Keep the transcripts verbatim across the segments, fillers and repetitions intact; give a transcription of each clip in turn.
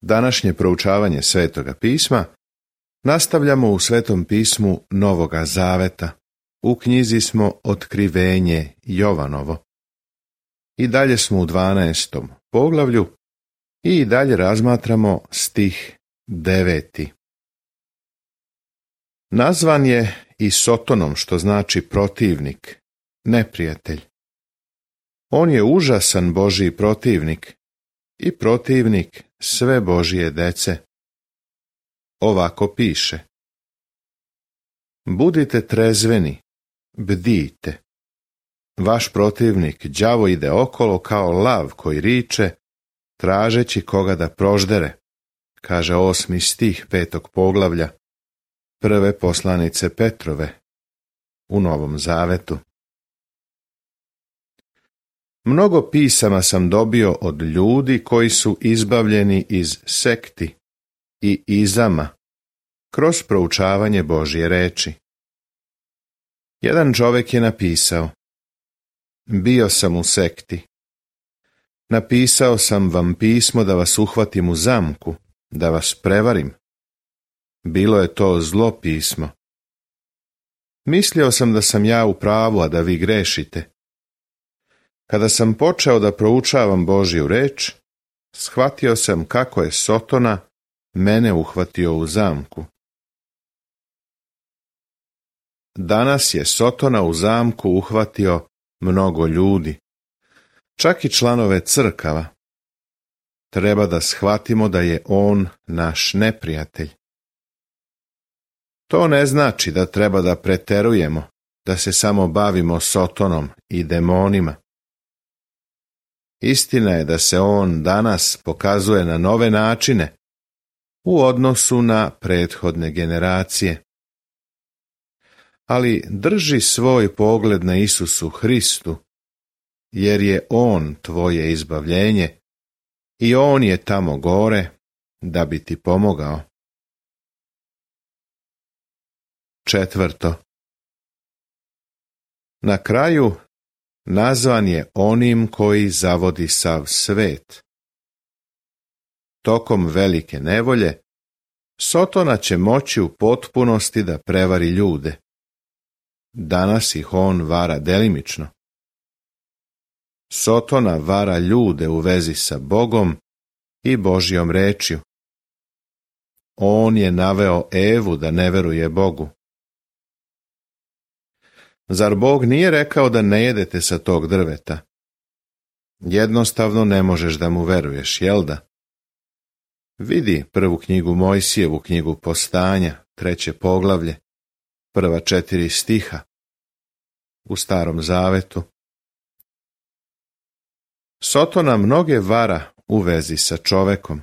Današnje proučavanje Svetoga pisma nastavljamo u Svetom pismu Novoga Zaveta. U knjizi smo Otkrivenje Jovanovo. I dalje smo u dvanaestom poglavlju i dalje razmatramo stih deveti. Nazvan je i Sotonom, što znači protivnik, neprijatelj. On je užasan Božji protivnik i protivnik sve Božje dece. Ovako piše: budite trezveni, bdijte. Vaš protivnik đavo ide okolo kao lav koji riče, tražeći koga da proždere, kaže osmi stih petog poglavlja prve poslanice Petrove u Novom Zavetu. Mnogo pisama sam dobio od ljudi koji su izbavljeni iz sekti i izama kroz proučavanje Božje reči. Jedan čovjek je napisao: bio sam u sekti. Napisao sam vam pismo da vas uhvatim u zamku, da vas prevarim. Bilo je to zlo pismo. Mislio sam da sam ja u pravu, a da vi grešite. Kada sam počeo da proučavam Božju reč, shvatio sam kako je Sotona mene uhvatio u zamku. Danas je Sotona u zamku uhvatio mnogo ljudi, čak i članove crkava. Treba da shvatimo da je on naš neprijatelj. To ne znači da treba da preterujemo, da se samo bavimo Sotonom i demonima. Istina je da se on danas pokazuje na nove načine u odnosu na prethodne generacije. Ali drži svoj pogled na Isusu Hristu, jer je on tvoje izbavljenje i on je tamo gore da bi ti pomogao. Četvrto. Na kraju nazvan je onim koji zavodi sav svet. Tokom velike nevolje Sotona će moći u potpunosti da prevari ljude. Danas ih on vara delimično. Sotona vara ljude u vezi sa Bogom i Božjom rečju. On je naveo Evu da ne veruje Bogu. Zar Bog nije rekao da ne jedete sa tog drveta? Jednostavno ne možeš da mu veruješ, jel da? Vidi prvu knjigu Mojsijevu, knjigu Postanja, treće poglavlje, prva četiri stiha u Starom Zavetu. Sotona mnoge vara u vezi sa čovekom.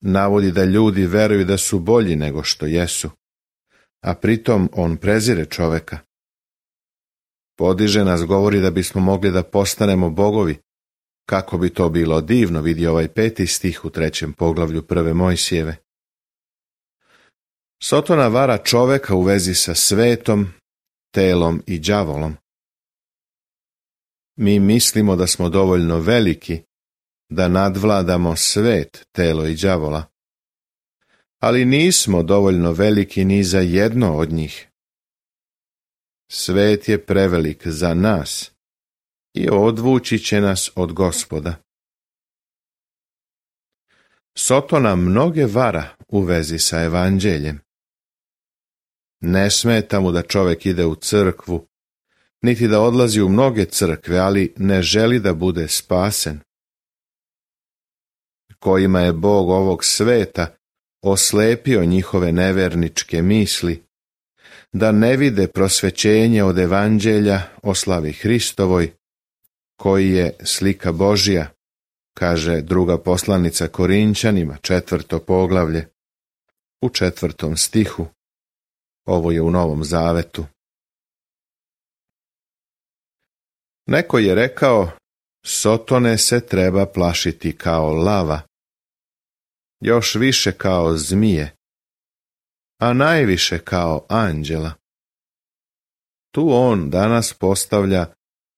Navodi da ljudi veruju da su bolji nego što jesu, a pritom on prezire čoveka. Podiže nas, govori da bismo mogli da postanemo bogovi. Kako bi to bilo divno, vidi ovaj peti stih u trećem poglavlju prve Mojsijeve. Sotona vara čoveka u vezi sa svetom, telom i đavolom. Mi mislimo da smo dovoljno veliki da nadvladamo svet, telo i đavola. Ali nismo dovoljno veliki ni za jedno od njih. Svet je prevelik za nas i odvući će nas od Gospoda. Sotona mnoge vara u vezi sa evanđeljem. Ne smeta mu da čovjek ide u crkvu, niti da odlazi u mnoge crkve, ali ne želi da bude spasen. Kojima je Bog ovog sveta oslepio njihove neverničke misli, da ne vide prosvećenje od evanđelja o slavi Hristovoj, koji je slika Božja, kaže druga poslanica Korinćanima, četvrto poglavlje, u četvrtom stihu. Ovo je u Novom Zavetu. Neko je rekao: Sotone se treba plašiti kao lava, još više kao zmije, a najviše kao anđela. Tu on danas postavlja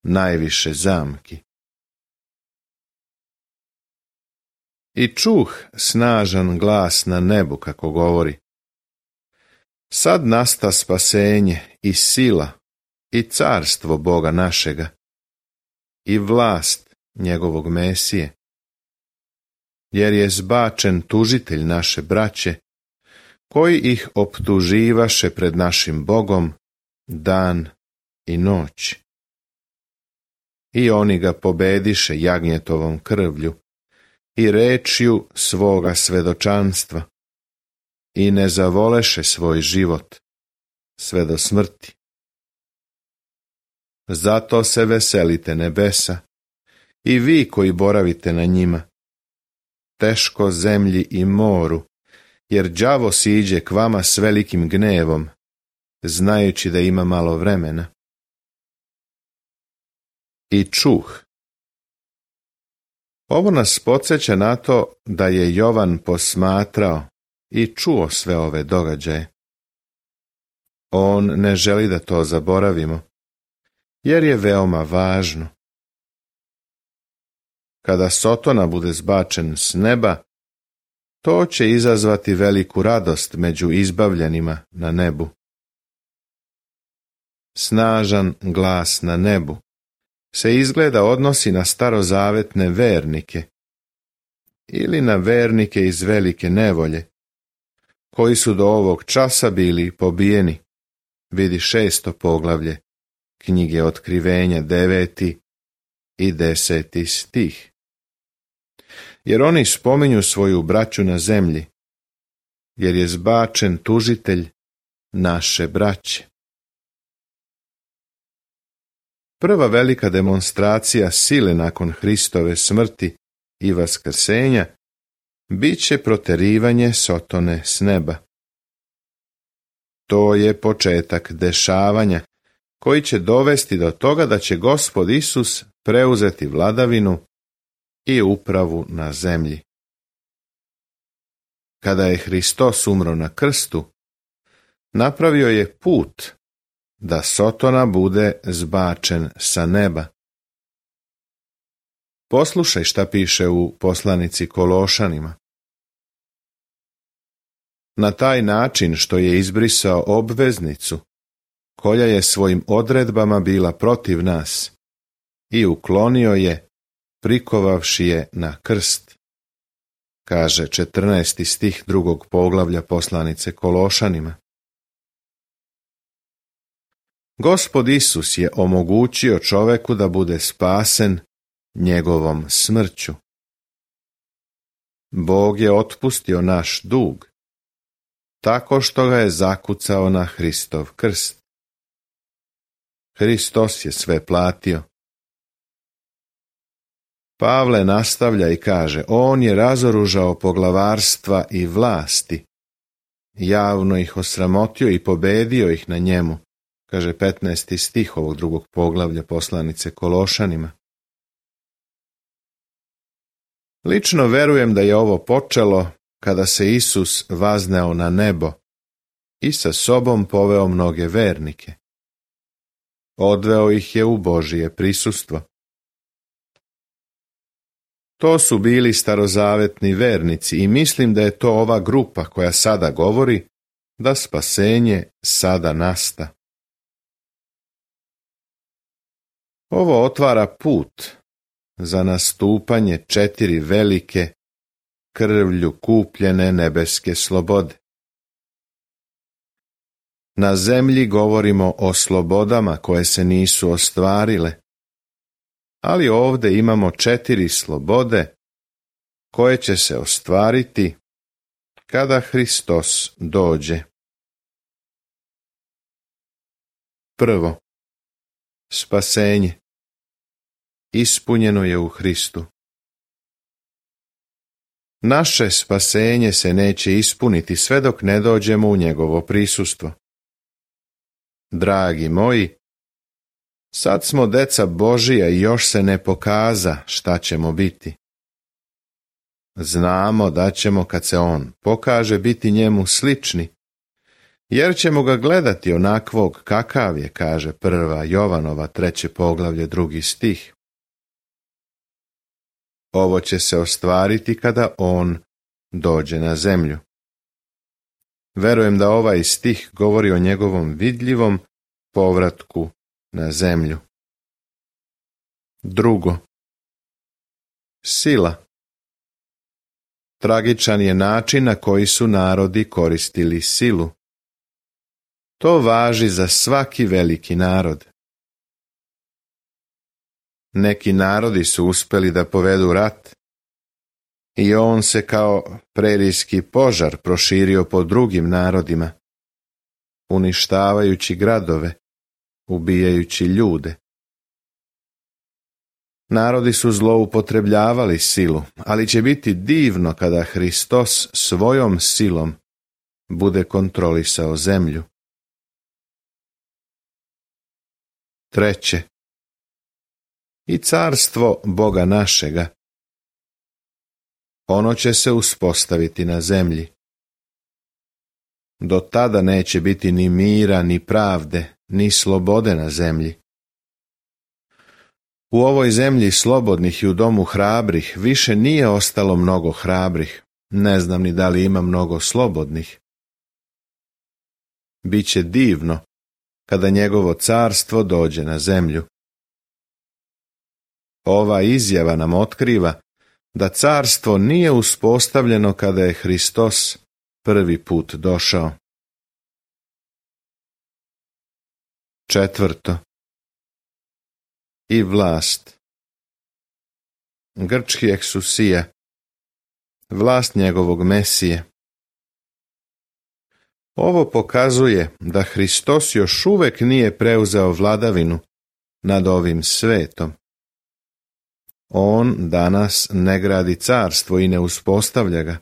najviše zamki. I čuh snažan glas na nebu kako govori: Sad nasta spasenje i sila i carstvo Boga našega i vlast njegovog Mesije, jer je zbačen tužitelj naše braće, koji ih optuživaše pred našim Bogom dan i noć. I oni ga pobediše jagnjetovom krvlju i rečju svoga svedočanstva i ne zavoleše svoj život sve do smrti. Zato se veselite nebesa i vi koji boravite na njima, teško zemlji i moru, jer đavo siđe k vama s velikim gnevom, znajući da ima malo vremena. I čuh. Ovo nas podsjeća na to da je Jovan posmatrao i čuo sve ove događaje. On ne želi da to zaboravimo, jer je veoma važno. Kada Sotona bude zbačen s neba, to će izazvati veliku radost među izbavljenima na nebu. Snažan glas na nebu se izgleda odnosi na starozavetne vernike ili na vernike iz velike nevolje, koji su do ovog časa bili pobijeni. Vidi šesto poglavlje knjige Otkrivenja, deveti i deseti stih. Jer oni spominju svoju braću na zemlji, jer je zbačen tužitelj naše braće. Prva velika demonstracija sile nakon Hristove smrti i vaskrsenja bit će proterivanje Sotone s neba. To je početak dešavanja koji će dovesti do toga da će Gospod Isus preuzeti vladavinu i upravu na zemlji. Kada je Hristos umro na krstu, napravio je put da Sotona bude zbačen sa neba. Poslušaj šta piše u poslanici Kološanima. Na taj način što je izbrisao obveznicu, koja je svojim odredbama bila protiv nas, i uklonio je, prikovavši je na krst, kaže četrnaesti stih drugog poglavlja poslanice Kološanima. Gospod Isus je omogućio čoveku da bude spasen njegovom smrću. Bog je otpustio naš dug, tako što ga je zakucao na Hristov krst. Hristos je sve platio. Pavle nastavlja i kaže, on je razoružao poglavarstva i vlasti, javno ih osramotio i pobedio ih na njemu, kaže petnaesti stih ovog drugog poglavlja poslanice Kološanima. Lično verujem da je ovo počelo kada se Isus vazneo na nebo i sa sobom poveo mnoge vernike. Odveo ih je u Božije prisustvo. To su bili starozavetni vernici i mislim da je to ova grupa koja sada govori da spasenje sada nasta. Ovo otvara put za nastupanje četiri velike, krvlju kupljene nebeske slobode. Na zemlji govorimo o slobodama koje se nisu ostvarile, ali ovdje imamo četiri slobode koje će se ostvariti kada Hristos dođe. Prvo, spasenje. Ispunjeno je u Hristu. Naše spasenje se neće ispuniti sve dok ne dođemo u njegovo prisustvo. Dragi moji, sad smo deca Božija i još se ne pokaza šta ćemo biti. Znamo da ćemo kad se on pokaže biti njemu slični, jer ćemo ga gledati onakvog kakav je, kaže prva Jovanova treće poglavlje drugi stih. Ovo će se ostvariti kada on dođe na zemlju. Verujem da ovaj stih govori o njegovom vidljivom povratku na zemlju. Drugo. Sila. Tragičan je način na koji su narodi koristili silu. To važi za svaki veliki narod. Neki narodi su uspjeli da povedu rat i on se kao prerijski požar proširio po drugim narodima, uništavajući gradove, ubijajući ljude. Narodi su zloupotrebljavali silu, ali će biti divno kada Hristos svojom silom bude kontrolisao zemlju. Treće. I carstvo Boga našega. Ono će se uspostaviti na zemlji. Do tada neće biti ni mira, ni pravde, ni slobode na zemlji. U ovoj zemlji slobodnih i u domu hrabrih više nije ostalo mnogo hrabrih. Ne znam ni da li ima mnogo slobodnih. Biće divno kada njegovo carstvo dođe na zemlju. Ova izjava nam otkriva da carstvo nije uspostavljeno kada je Hristos prvi put došao. Četvrto. I vlast. Grčki eksusija. Vlast njegovog Mesije. Ovo pokazuje da Hristos još uvek nije preuzeo vladavinu nad ovim svetom. On danas ne gradi carstvo i ne uspostavlja ga.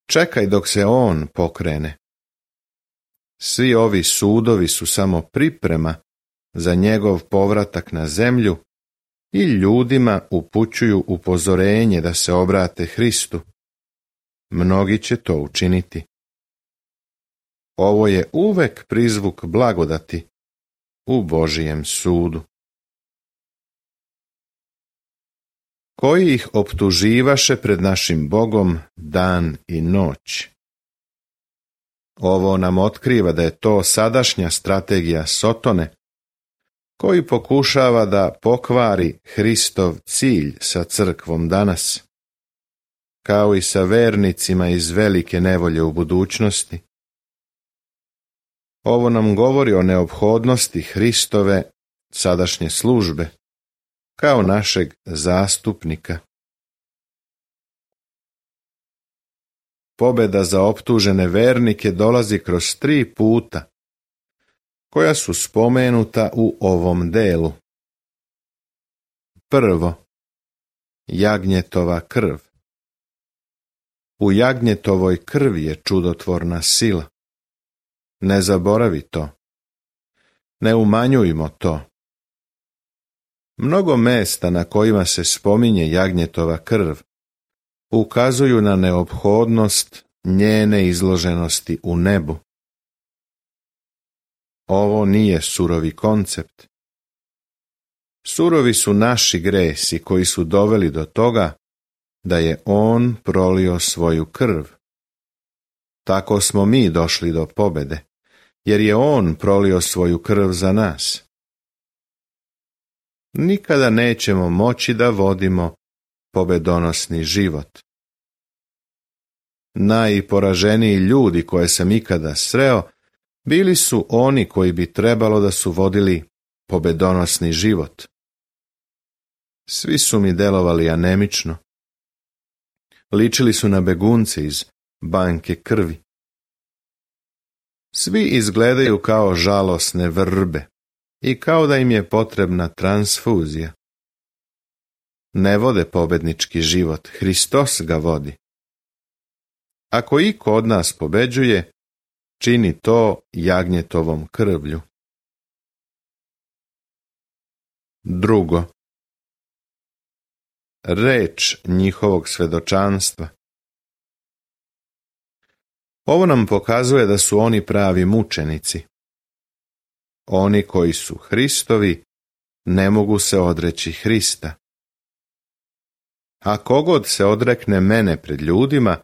Čekaj dok se on pokrene. Svi ovi sudovi su samo priprema za njegov povratak na zemlju i ljudima upućuju upozorenje da se obrate Hristu. Mnogi će to učiniti. Ovo je uvek prizvuk blagodati u Božijem sudu. Koji ih optuživaše pred našim Bogom dan i noć. Ovo nam otkriva da je to sadašnja strategija Sotone, koji pokušava da pokvari Hristov cilj sa crkvom danas, kao i sa vernicima iz velike nevolje u budućnosti. Ovo nam govori o neophodnosti Hristove sadašnje službe, kao našeg zastupnika. Pobjeda za optužene vernike dolazi kroz tri puta, koja su spomenuta u ovom delu. Prvo, jagnjetova krv. U jagnjetovoj krvi je čudotvorna sila. Ne zaboravi to. Ne umanjujmo to. Mnogo mesta na kojima se spominje jagnjetova krv ukazuju na neophodnost njene izloženosti u nebu. Ovo nije surovi koncept. Surovi su naši gresi koji su doveli do toga da je on prolio svoju krv. Tako smo mi došli do pobjede, jer je on prolio svoju krv za nas. Nikada nećemo moći da vodimo pobedonosni život. Najporaženiji ljudi koje sam ikada sreo bili su oni koji bi trebalo da su vodili pobedonosni život. Svi su mi delovali anemično. Ličili su na begunce iz banke krvi. Svi izgledaju kao žalosne vrbe i kao da im je potrebna transfuzija. Ne vode pobednički život, Hristos ga vodi. Ako iko od nas pobeđuje, čini to jagnjetovom krvlju. Drugo, reč njihovog svedočanstva. Ovo nam pokazuje da su oni pravi mučenici. Oni koji su Hristovi ne mogu se odreći Hrista. A kogod se odrekne mene pred ljudima,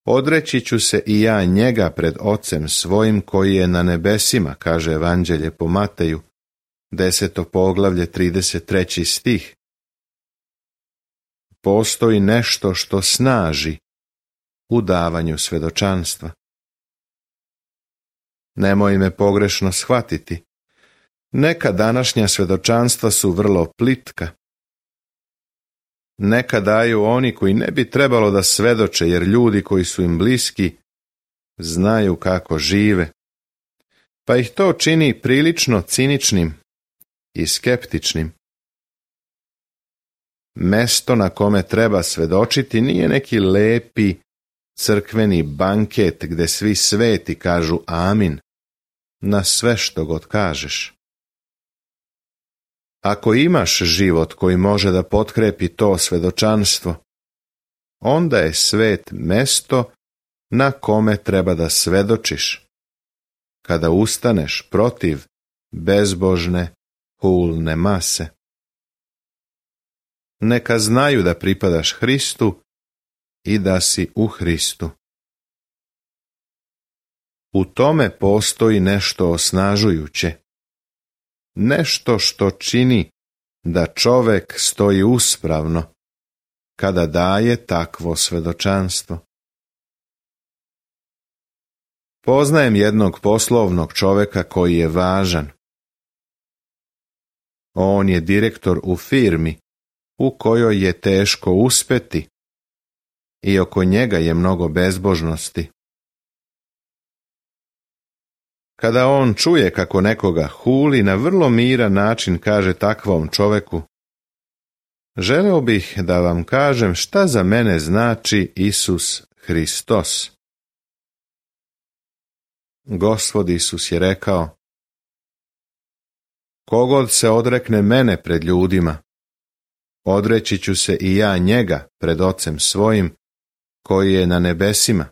odreći ću se i ja njega pred Ocem svojim koji je na nebesima, kaže Evanđelje po Mateju, deseto poglavlje, trideset treći stih. Postoji nešto što snaži u davanju svedočanstva. Nemoj me pogrešno shvatiti. Neka današnja svedočanstva su vrlo plitka. Neka daju oni koji ne bi trebalo da svedoče, jer ljudi koji su im bliski znaju kako žive, pa ih to čini prilično ciničnim i skeptičnim. Mesto na kome treba svedočiti nije neki lepi crkveni banket gde svi sveti kažu amin na sve što god kažeš. Ako imaš život koji može da potkrepi to svedočanstvo, onda je svet mesto na kome treba da svedočiš, kada ustaneš protiv bezbožne, hulne mase. Neka znaju da pripadaš Hristu i da si u Hristu. U tome postoji nešto osnažujuće, nešto što čini da čovek stoji uspravno kada daje takvo svedočanstvo. Poznajem jednog poslovnog čoveka koji je važan. On je direktor u firmi u kojoj je teško uspeti i oko njega je mnogo bezbožnosti. Kada on čuje kako nekoga huli, na vrlo miran način kaže takvom čoveku: želeo bih da vam kažem šta za mene znači Isus Hristos. Gospod Isus je rekao: kogod se odrekne mene pred ljudima, odreći ću se i ja njega pred Ocem svojim koji je na nebesima.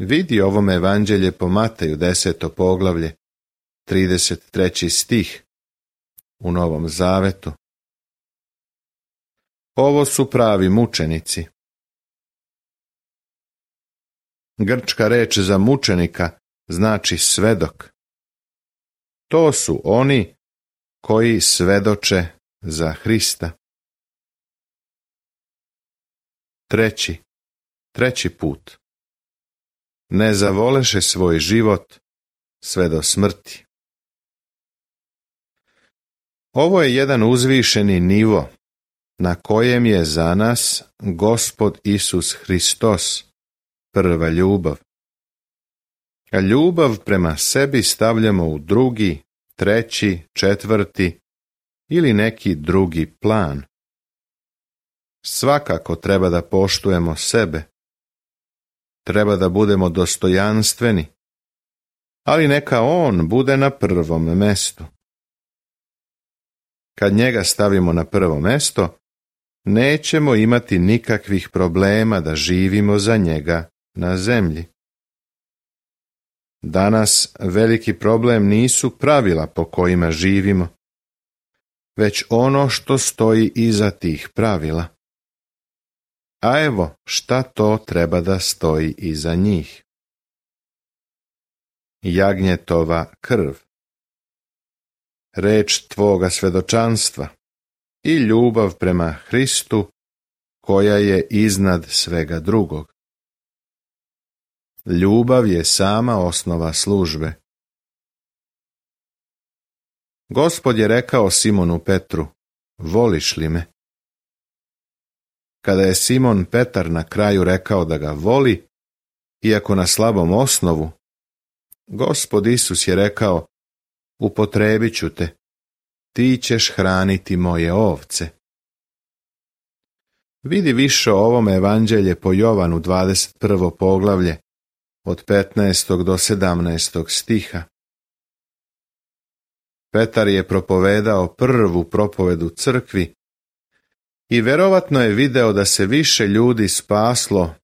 Vidi ovome Evanđelje po Mateju, deseto poglavlje, trideset treći stih u Novom Zavetu. Ovo su pravi mučenici. Grčka reč za mučenika znači svedok. To su oni koji svedoče za Hrista. Treći, treći put. Ne zavoleše svoj život sve do smrti. Ovo je jedan uzvišeni nivo na kojem je za nas Gospod Isus Hristos prva ljubav. A ljubav prema sebi stavljamo u drugi, treći, četvrti ili neki drugi plan. Svakako treba da poštujemo sebe. Treba da budemo dostojanstveni, ali neka on bude na prvom mestu. Kad njega stavimo na prvo mesto, nećemo imati nikakvih problema da živimo za njega na zemlji. Danas veliki problem nisu pravila po kojima živimo, već ono što stoji iza tih pravila. A evo šta to treba da stoji iza njih. Jagnjetova krv, reč tvoga svedočanstva i ljubav prema Hristu koja je iznad svega drugog. Ljubav je sama osnova službe. Gospod je rekao Simonu Petru: voliš li me? Kada je Simon Petar na kraju rekao da ga voli, iako na slabom osnovu, Gospod Isus je rekao: upotrebit ću te, ti ćeš hraniti moje ovce. Vidi više o ovom Evanđelje po Jovanu dvadeset prvo poglavlje od petnaestog do sedamnaestog stiha. Petar je propovedao prvu propovedu crkvi i verovatno je video da se više ljudi spaslo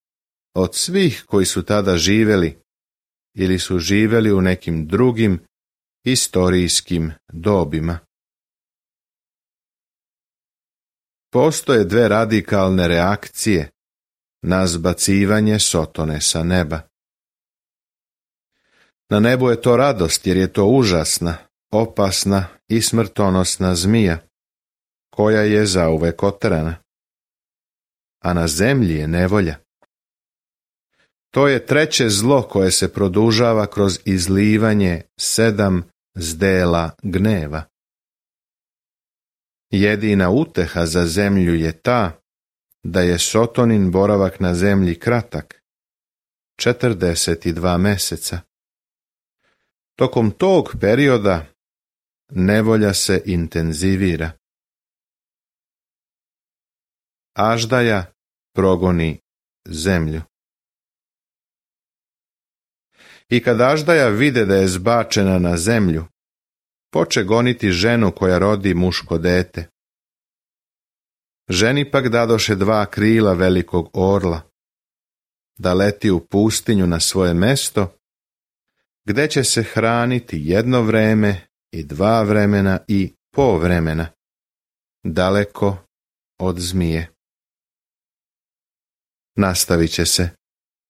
od svih koji su tada živeli ili su živeli u nekim drugim istorijskim dobima. Postoje dve radikalne reakcije na zbacivanje Sotone sa neba. Na nebu je to radost jer je to užasna, opasna i smrtonosna zmija, koja je zauvek oterana. A na zemlji je nevolja. To je treće zlo koje se produžava kroz izlivanje sedam zdela gneva. Jedina uteha za zemlju je ta da je Sotonin boravak na zemlji kratak, četrdeset dva meseca. Tokom tog perioda nevolja se intenzivira. Aždaja progoni zemlju. I kad Aždaja vide da je zbačena na zemlju, poče goniti ženu koja rodi muško dete. Ženi pak dadoše dva krila velikog orla, da leti u pustinju na svoje mesto, gde će se hraniti jedno vreme i dva vremena i po vremena, daleko od zmije. Nastavit će se.